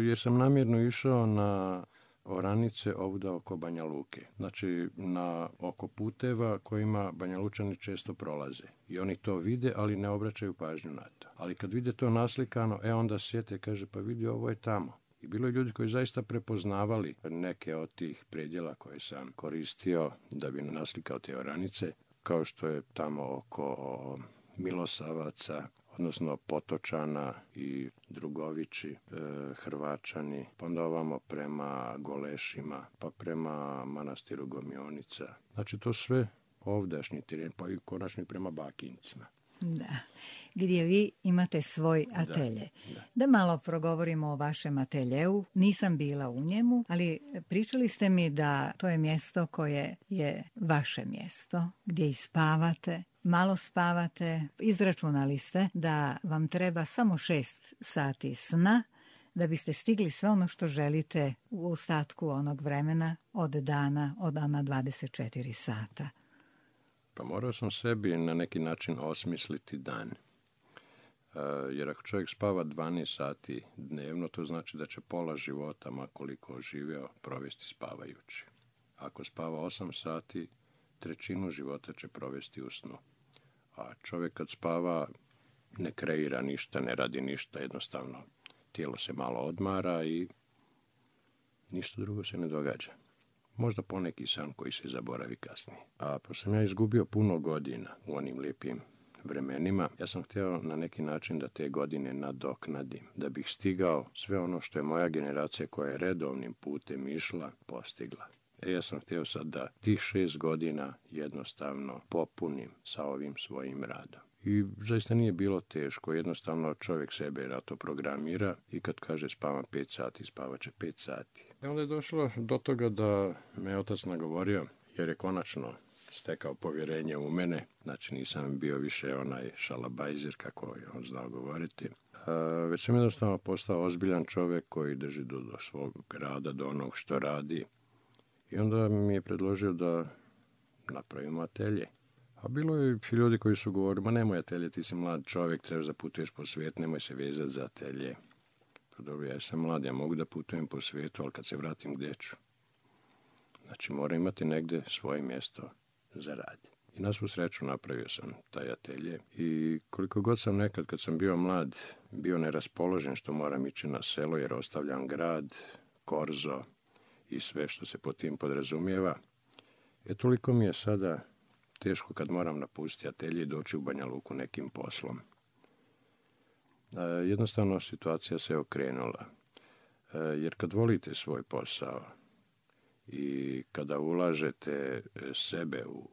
jer sam namjerno išao na oranice ovdje oko Banja Luke. Znači, na oko puteva kojima Banja Lučani često prolaze. I oni to vide, ali ne obraćaju pažnju na to. Ali kad vide to naslikano, e onda sjete, kaže, pa vidi, ovo je tamo. I bilo je ljudi koji zaista prepoznavali neke od tih predjela koje sam koristio da bi naslikao te oranice, kao što je tamo oko Milosavaca, odnosno Potočana i Drugovići, e, Hrvačani, pa onda ovamo prema Golešima, pa prema manastiru Gomionica. Znači to sve ovdašnji teren, pa i konačno i prema Bakincima. Da, gdje vi imate svoj atelje. Da, da. Da malo progovorimo o vašem ateljeu. Nisam bila u njemu, ali pričali ste mi da to je mjesto koje je vaše mjesto, gdje i spavate, malo spavate. Izračunali ste da vam treba samo šest sati sna da biste stigli sve ono što želite u ostatku onog vremena od dana, od dana dvadeset četiri sata. Pa morao sam sebi na neki način osmisliti dan. Uh, jer ako čovjek spava dvanaest sati dnevno, to znači da će pola života, ma koliko živio, provesti spavajući. Ako spava osam sati, trećinu života će provesti u snu. A čovjek kad spava ne kreira ništa, ne radi ništa, jednostavno tijelo se malo odmara i ništa drugo se ne događa. Možda poneki san koji se zaboravi kasnije. A pošto sam ja izgubio puno godina u onim lijepim vremenima, ja sam htio na neki način da te godine nadoknadim, da bih stigao sve ono što je moja generacija koja je redovnim putem išla, postigla. E ja sam htio sad da tih šest godina jednostavno popunim sa ovim svojim radom. I zaista nije bilo teško, jednostavno čovjek sebe na to programira i kad kaže spavam pet sati, spavat će pet sati. I onda je došlo do toga da me otac nagovorio, jer je konačno stekao povjerenje u mene, znači nisam bio više onaj šalabajzer kako je on znao govoriti, a, već sam jednostavno postao ozbiljan čovjek koji drži do, do svog rada, do onog što radi. I onda mi je predložio da napravimo atelje. A bilo je ljudi koji su govorili, ma nemoj atelje, ti si mlad čovjek, trebaš da putuješ po svijetu, nemoj se vezati za atelje. Pa dobro, ja sam mlad, ja mogu da putujem po svijetu, ali kad se vratim, gdje ću? Znači, moram imati negdje svoje mjesto za rad. I na svu sreću napravio sam taj atelje. I koliko god sam nekad, kad sam bio mlad, bio neraspoložen što moram ići na selo, jer ostavljam grad, korzo i sve što se pod tim podrazumijeva, e toliko mi je sada teško kad moram napustiti atelje i doći u Banja Luku nekim poslom. E, jednostavno situacija se okrenula. E, jer kad volite svoj posao i kada ulažete sebe u,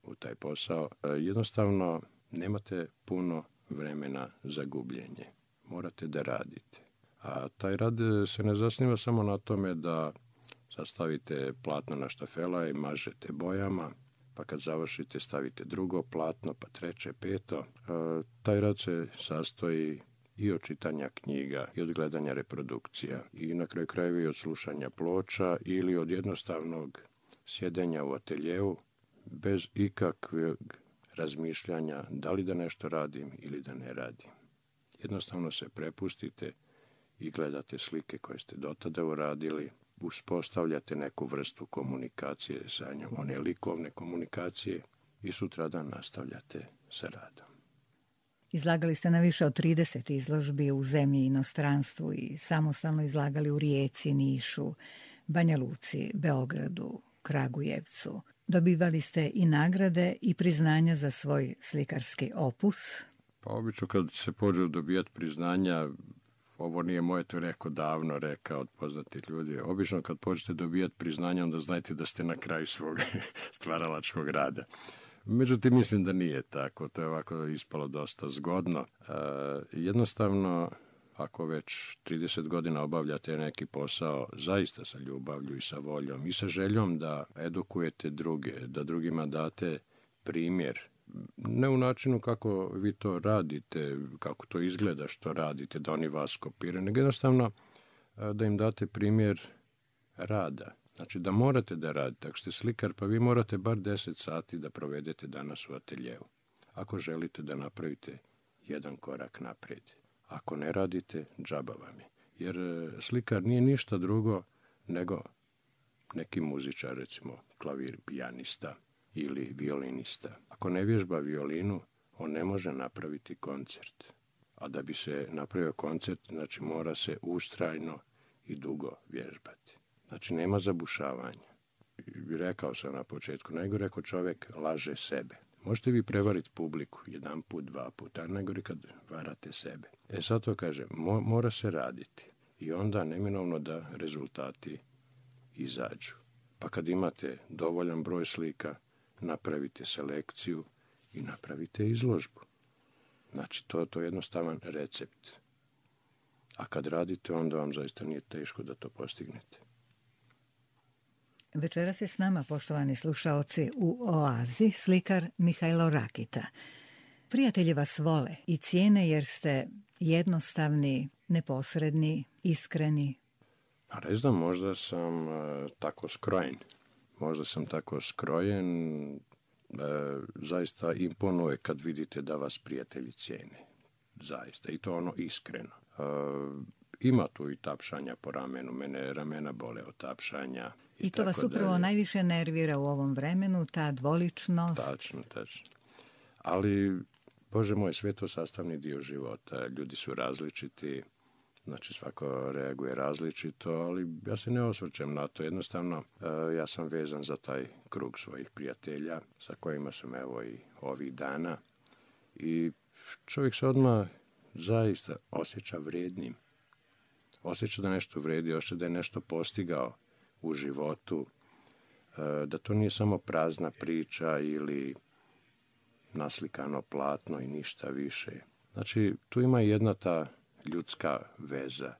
u taj posao, e, jednostavno nemate puno vremena za gubljenje. Morate da radite. A taj rad se ne zasniva samo na tome da sastavite platno na štafela i mažete bojama, pa kad završite stavite drugo platno, pa treće, peto. E, taj rad se sastoji i od čitanja knjiga, i od gledanja reprodukcija, i na kraju krajeva i od slušanja ploča ili od jednostavnog sjedenja u ateljevu bez ikakvog razmišljanja da li da nešto radim ili da ne radim. Jednostavno se prepustite i gledate slike koje ste dotada uradili, uspostavljate neku vrstu komunikacije sa njom, one likovne komunikacije i sutradan nastavljate sa radom. Izlagali ste na više od trideset izložbi u zemlji i inostranstvu i samostalno izlagali u Rijeci, Nišu, Banja Luci, Beogradu, Kragujevcu. Dobivali ste i nagrade i priznanja za svoj slikarski opus. Pa obično kad se pođe dobijati priznanja, ovo nije moje, to je rekao davno, rekao od poznatih ljudi. Obično kad počnete dobijati priznanja, onda znajte da ste na kraju svog stvaralačkog rada. Međutim, mislim da nije tako. To je ovako ispalo dosta zgodno. E, jednostavno, ako već trideset godina obavljate neki posao, zaista sa ljubavlju i sa voljom i sa željom da edukujete druge, da drugima date primjer. Ne u načinu kako vi to radite, kako to izgleda što radite, da oni vas kopiraju, nego jednostavno da im date primjer rada. Znači da morate da radite. Ako ste slikar, pa vi morate bar deset sati da provedete danas u ateljevu. Ako želite da napravite jedan korak naprijed. Ako ne radite, džaba vam je. Jer slikar nije ništa drugo nego neki muzičar, recimo klavir, pijanista ili violinista. Ako ne vježba violinu, on ne može napraviti koncert. A da bi se napravio koncert, znači mora se ustrajno i dugo vježbati. Znači nema zabušavanja. Rekao sam na početku, najgore ako čovjek laže sebe. Možete vi prevariti publiku jedan put, dva put, a najgore kad varate sebe. E sad to kaže, mo- mora se raditi. I onda neminovno da rezultati izađu. Pa kad imate dovoljan broj slika, napravite selekciju i napravite izložbu. Znači, to, to je jednostavan recept. A kad radite, onda vam zaista nije teško da to postignete. Večeras je s nama, poštovani slušaoci, u Oazi slikar Mihajlo Rakita. Prijatelji vas vole i cijene jer ste jednostavni, neposredni, iskreni. Pa ne znam, možda sam uh, tako skrojen. Možda sam tako skrojen, e, zaista imponuje kad vidite da vas prijatelji cijene. Zaista, i to ono iskreno. E, ima tu i tapšanja po ramenu, mene ramena bole od tapšanja. I, I to vas upravo dalje. Najviše nervira u ovom vremenu, ta dvoličnost. Tačno, tačno. Ali, Bože moj, sve to sastavni dio života. Ljudi su različiti. Znači, svako reaguje različito, ali ja se ne osvrćem na to. Jednostavno, ja sam vezan za taj krug svojih prijatelja, sa kojima sam evo i ovih dana. I čovjek se odmah zaista osjeća vrijednim. Osjeća da nešto vredi, osjeća da je nešto postigao u životu, da to nije samo prazna priča ili naslikano platno i ništa više. Znači, tu ima jedna ta ljudska veza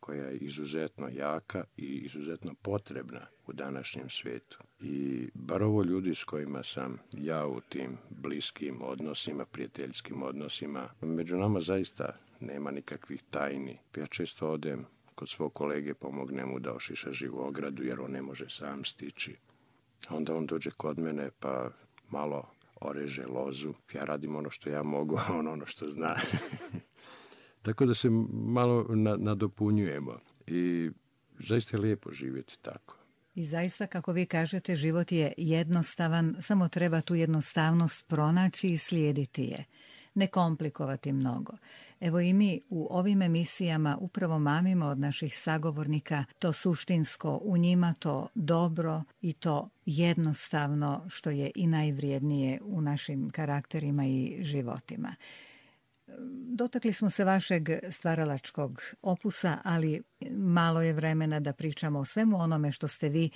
koja je izuzetno jaka i izuzetno potrebna u današnjem svijetu. I bar ovo ljudi s kojima sam ja u tim bliskim odnosima, prijateljskim odnosima, među nama zaista nema nikakvih tajni. Ja često odem kod svog kolege, pomognem mu da ošiša živu ogradu jer on ne može sam stići. Onda on dođe kod mene pa malo oreže lozu. Ja radim ono što ja mogu, a on ono što zna. Tako da se malo nadopunjujemo i zaista je lijepo živjeti tako. I zaista, kako vi kažete, život je jednostavan, samo treba tu jednostavnost pronaći i slijediti je. Ne komplikovati mnogo. Evo i mi u ovim emisijama upravo mamimo od naših sagovornika to suštinsko u njima, to dobro i to jednostavno što je i najvrijednije u našim karakterima i životima. Dotakli smo se vašeg stvaralačkog opusa, ali malo je vremena da pričamo o svemu onome što ste vi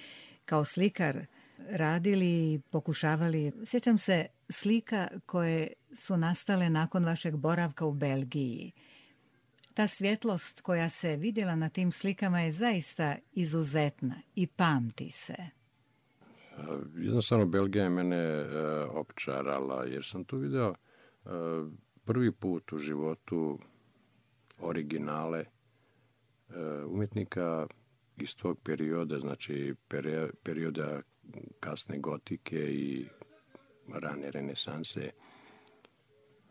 kao slikar radili i pokušavali. Sjećam se slika koje su nastale nakon vašeg boravka u Belgiji. Ta svjetlost koja se vidjela na tim slikama je zaista izuzetna i pamti se. Jednostavno Belgija je mene uh, opčarala jer sam tu vidio uh, prvi put u životu originale umjetnika iz tog perioda, znači perioda kasne gotike i rane renesanse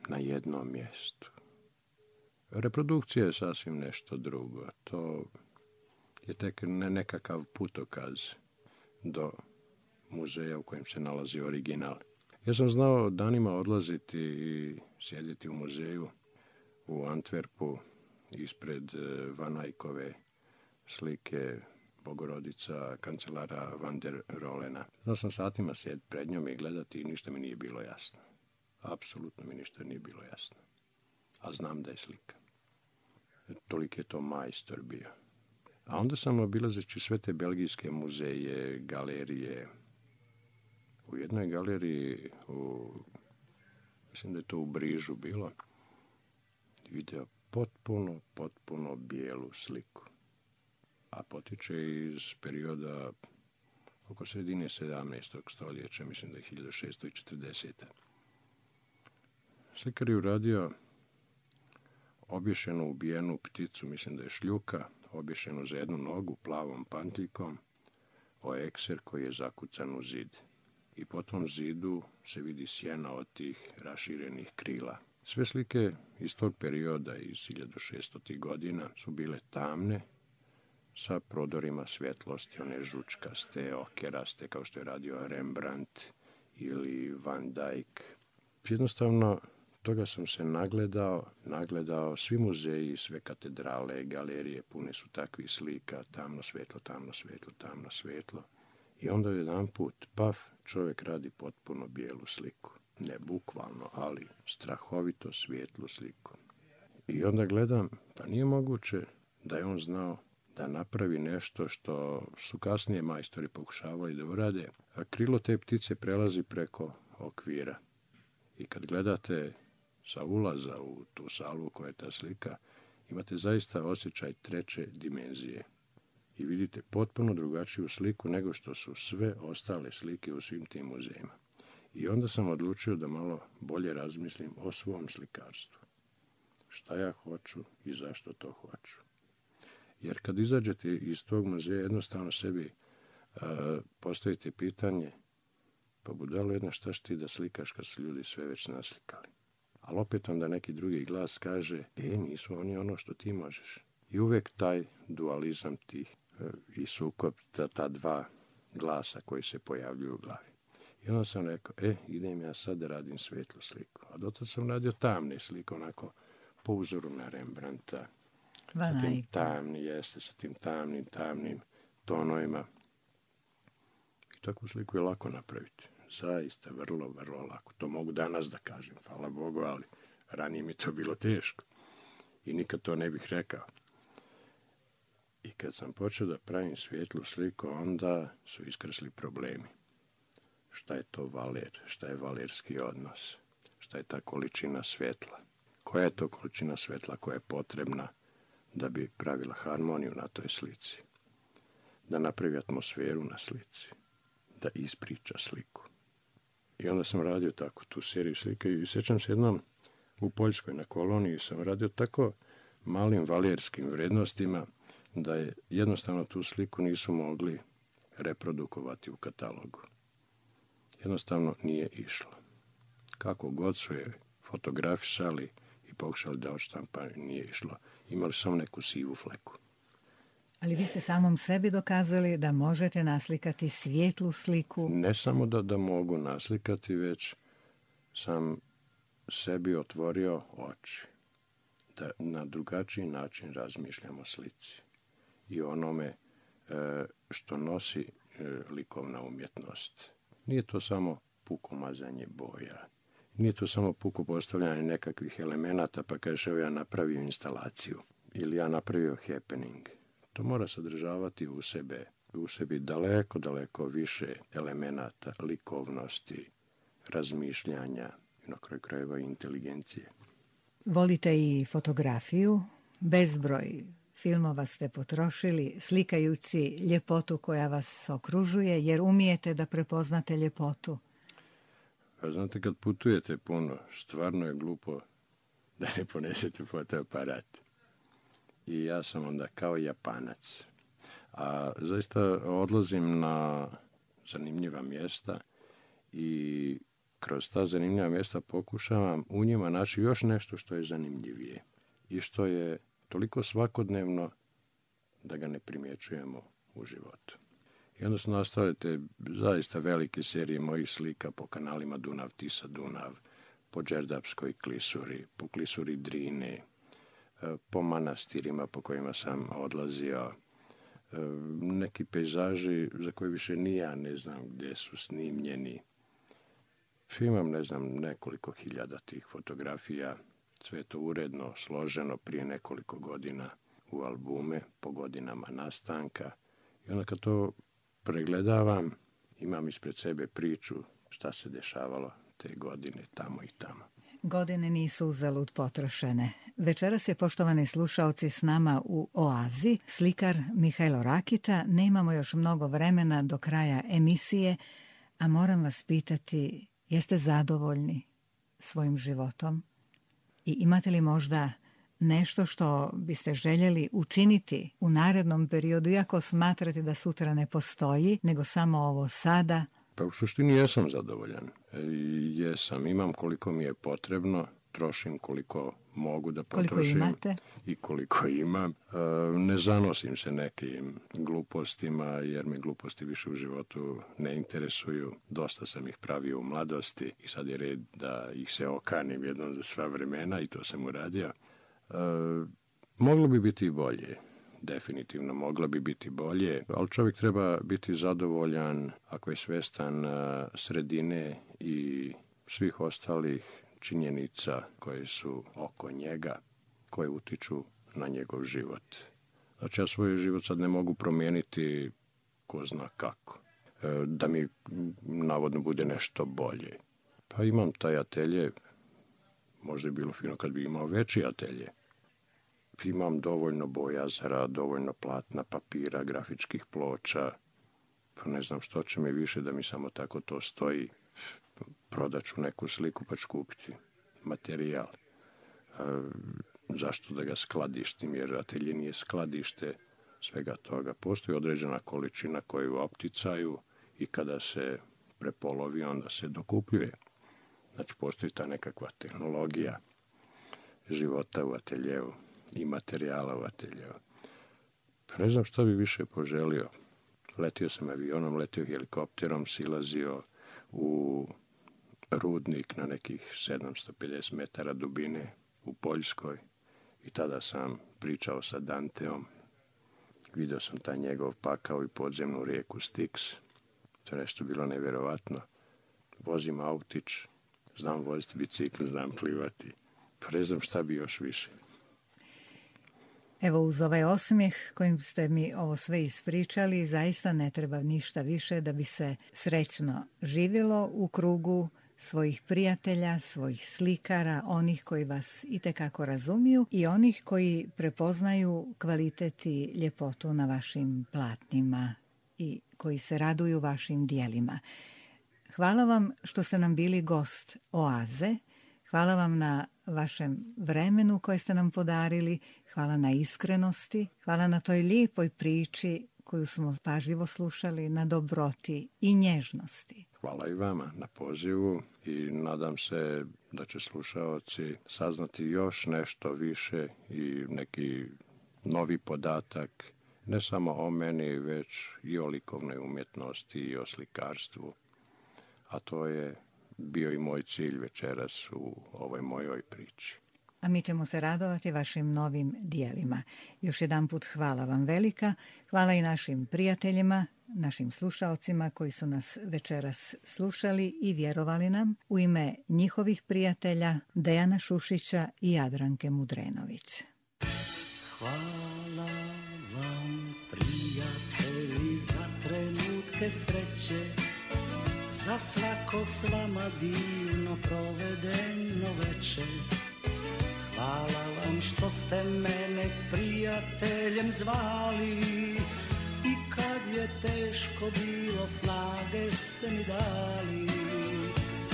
na jednom mjestu. Reprodukcija je sasvim nešto drugo. To je tek nekakav putokaz do muzeja u kojem se nalazi original. Ja sam znao danima odlaziti i sjediti u muzeju u Antwerpu ispred Van Eyckove slike Bogorodica kancelara Van der Rohena. Znao sam satima sjediti pred njom i gledati i ništa mi nije bilo jasno. Apsolutno mi ništa nije bilo jasno. A znam da je slika. Toliko je to majstor bio. A onda sam obilazeći sve te belgijske muzeje, galerije. U jednoj galeriji, u, mislim da je to u Brižu bilo, vidio potpuno, potpuno bijelu sliku. A potiče iz perioda oko sredine sedamnaestog stoljeća, mislim da je hiljadu šeststo četrdeset. Slikar je uradio obješenu ubijenu pticu, mislim da je šljuka, obješenu za jednu nogu plavom pantiljkom, o ekser koji je zakucan u zid. I po tom zidu se vidi sjena od tih raširenih krila. Sve slike iz tog perioda, iz hiljadu šeststotih godina, su bile tamne, sa prodorima svjetlosti, one žučkaste, okeraste, kao što je radio Rembrandt ili Van Dyck. Jednostavno, toga sam se nagledao, nagledao, svi muzeji, sve katedrale, galerije, pune su takvih slika, tamno svetlo, tamno svetlo, tamno svetlo. I onda jedan put, paf, čovjek radi potpuno bijelu sliku. Ne bukvalno, ali strahovito svijetlu sliku. I onda gledam, pa nije moguće da je on znao da napravi nešto što su kasnije majstori pokušavali da urade, a krilo te ptice prelazi preko okvira. I kad gledate sa ulaza u tu salu koja je ta slika, imate zaista osjećaj treće dimenzije. I vidite potpuno drugačiju sliku nego što su sve ostale slike u svim tim muzejima. I onda sam odlučio da malo bolje razmislim o svom slikarstvu. Šta ja hoću i zašto to hoću. Jer kad izađete iz tog muzeja, jednostavno sebi a, postavite pitanje, pa budalo jedna, šta ti da slikaš kad su ljudi sve već naslikali. Ali opet onda neki drugi glas kaže, e, nisu oni ono što ti možeš. I uvijek taj dualizam tih e, i sukob, ta, ta dva glasa koji se pojavljuju u glavi. I onda sam rekao, e, idem ja sad da radim svetlu sliku. A dotad sam radio tamne slike, onako po uzoru na Rembrandta. Sa tim tamni, jeste, sa tim tamnim, tamnim tonovima. I takvu sliku je lako napraviti. Zaista, vrlo, vrlo lako. To mogu danas da kažem, hvala Bogu, ali ranije mi to bilo teško. I nikad to ne bih rekao. I kad sam počeo da pravim svijetlu sliku, onda su iskrsli problemi. Šta je to valer? Šta je valerski odnos? Šta je ta količina svjetla? Koja je to količina svjetla koja je potrebna da bi pravila harmoniju na toj slici? Da napravi atmosferu na slici? Da ispriča sliku? I onda sam radio tako tu seriju slika i sjećam se jednom u Poljskoj na koloniji sam radio tako malim valerskim vrednostima da je jednostavno tu sliku nisu mogli reprodukovati u katalogu. Jednostavno nije išlo. Kako god su je fotografisali i pokušali da odštampaju, nije išlo. Imali samo neku sivu fleku. Ali vi ste samom sebi dokazali da možete naslikati svijetlu sliku. Ne samo da, da mogu naslikati, već sam sebi otvorio oči. Da na drugačiji način razmišljam o slici. I onome e, što nosi e, likovna umjetnost. Nije to samo puko mazanje boja. Nije to samo puko postavljanje nekakvih elemenata, pa kažeš, evo ja napravio instalaciju. Ili ja napravio happening. To mora sadržavati u sebe, u sebi daleko, daleko više elemenata, likovnosti, razmišljanja i na kraju krajeva inteligencije. Volite i fotografiju, bezbroj filmova ste potrošili slikajući ljepotu koja vas okružuje, jer umijete da prepoznate ljepotu. Pa znate, kad putujete puno, stvarno je glupo da ne ponesete fotoaparat. i ja sam onda kao Japanac. A zaista odlazim na zanimljiva mjesta i kroz ta zanimljiva mjesta pokušavam u njima naći još nešto što je zanimljivije i što je toliko svakodnevno da ga ne primjećujemo u životu. I onda su nastale te zaista velike serije mojih slika po kanalima Dunav, Tisa, Dunav, po Đerdapskoj klisuri, po klisuri Drine, po manastirima po kojima sam odlazio, neki pejzaži za koje više ni ja ne znam gdje su snimljeni. Imam, ne znam, nekoliko hiljada tih fotografija, sve to uredno, složeno prije nekoliko godina u albume, po godinama nastanka. I onda kad to pregledavam, imam ispred sebe priču šta se dešavalo te godine tamo i tamo. Godine nisu uzalud potrošene. Večeras je, poštovani slušaoci, s nama u Oazi slikar Mihajlo Rakita. Nemamo još mnogo vremena do kraja emisije, a moram vas pitati, jeste zadovoljni svojim životom? I imate li možda nešto što biste željeli učiniti u narednom periodu, iako smatrate da sutra ne postoji, nego samo ovo sada? Pa u suštini jesam zadovoljan. E, jesam, imam koliko mi je potrebno, trošim koliko mogu da potrošim. Koliko imate? I koliko imam. E, ne zanosim se nekim glupostima, jer me gluposti više u životu ne interesuju. Dosta sam ih pravio u mladosti i sad je red da ih se okanim jednom za sva vremena i to sam uradio. E, moglo bi biti i bolje. Definitivno mogla bi biti bolje, ali čovjek treba biti zadovoljan ako je svjestan sredine i svih ostalih činjenica koje su oko njega, koje utiču na njegov život. Znači ja svoj život sad ne mogu promijeniti ko zna kako, da mi navodno bude nešto bolje. Pa imam taj atelje, možda je bilo fino kad bi imao veći atelje. Imam dovoljno bojazara, dovoljno platna, papira, grafičkih ploča. Pa ne znam što će mi više da mi samo tako to stoji. Prodat ću neku sliku pa ću kupiti materijal. E, zašto da ga skladištim, jer atelje nije skladište svega toga. Postoji određena količina koju opticaju i kada se prepolovi onda se dokupljuje. Znači postoji ta nekakva tehnologija života u ateljevu i materijala u ateljevu. Pa ne znam šta bi više poželio. Letio sam avionom, letio helikopterom, silazio u rudnik na nekih sedamsto pedeset metara dubine u Poljskoj i tada sam pričao sa Danteom. Vidio sam taj njegov pakao i podzemnu rijeku Styx. To je nešto bilo nevjerovatno. Vozim autić, znam voziti bicikl, znam plivati. Pa ne znam šta bi još više. Evo, uz ovaj osmijeh kojim ste mi ovo sve ispričali, zaista ne treba ništa više da bi se srećno živjelo u krugu svojih prijatelja, svojih slikara, onih koji vas itekako razumiju i onih koji prepoznaju kvalitet i ljepotu na vašim platnima i koji se raduju vašim dijelima. Hvala vam što ste nam bili gost Oaze. Hvala vam na vašem vremenu koje ste nam podarili, hvala na iskrenosti, hvala na toj lijepoj priči koju smo pažljivo slušali, na dobroti i nježnosti. Hvala i vama na pozivu i nadam se da će slušaoci saznati još nešto više i neki novi podatak, ne samo o meni, već i o likovnoj umjetnosti i o slikarstvu, a to je bio i moj cilj večeras u ovoj mojoj priči. A mi ćemo se radovati vašim novim dijelima. Još jedan put hvala vam velika. Hvala i našim prijateljima, našim slušalcima koji su nas večeras slušali i vjerovali nam. U ime njihovih prijatelja Dejana Šušića i Jadranke Mudrenović. Hvala vam, prijatelji, za trenutke sreće, za svako s vama divno provedeno večer. Hvala vam što ste mene prijateljem zvali i kad je teško bilo snage ste mi dali.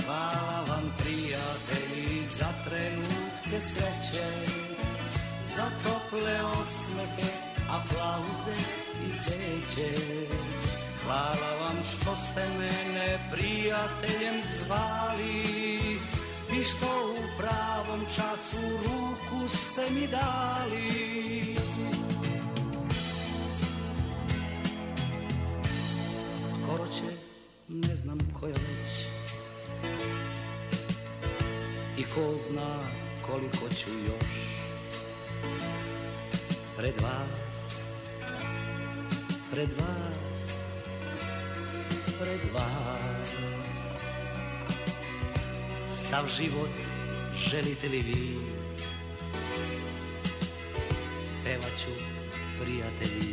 Hvala vam, prijatelji, za trenutke sreće, za tople osmehe, aplauze i zeće. Hvala vam što ste mene prijateljem zvali i što u pravom času ruku ste mi dali. Skoro će, ne znam koja već, i ko zna koliko ću još pred vas, pred vas, pred vas. Sav život želite li vi, pevat ću prijatelji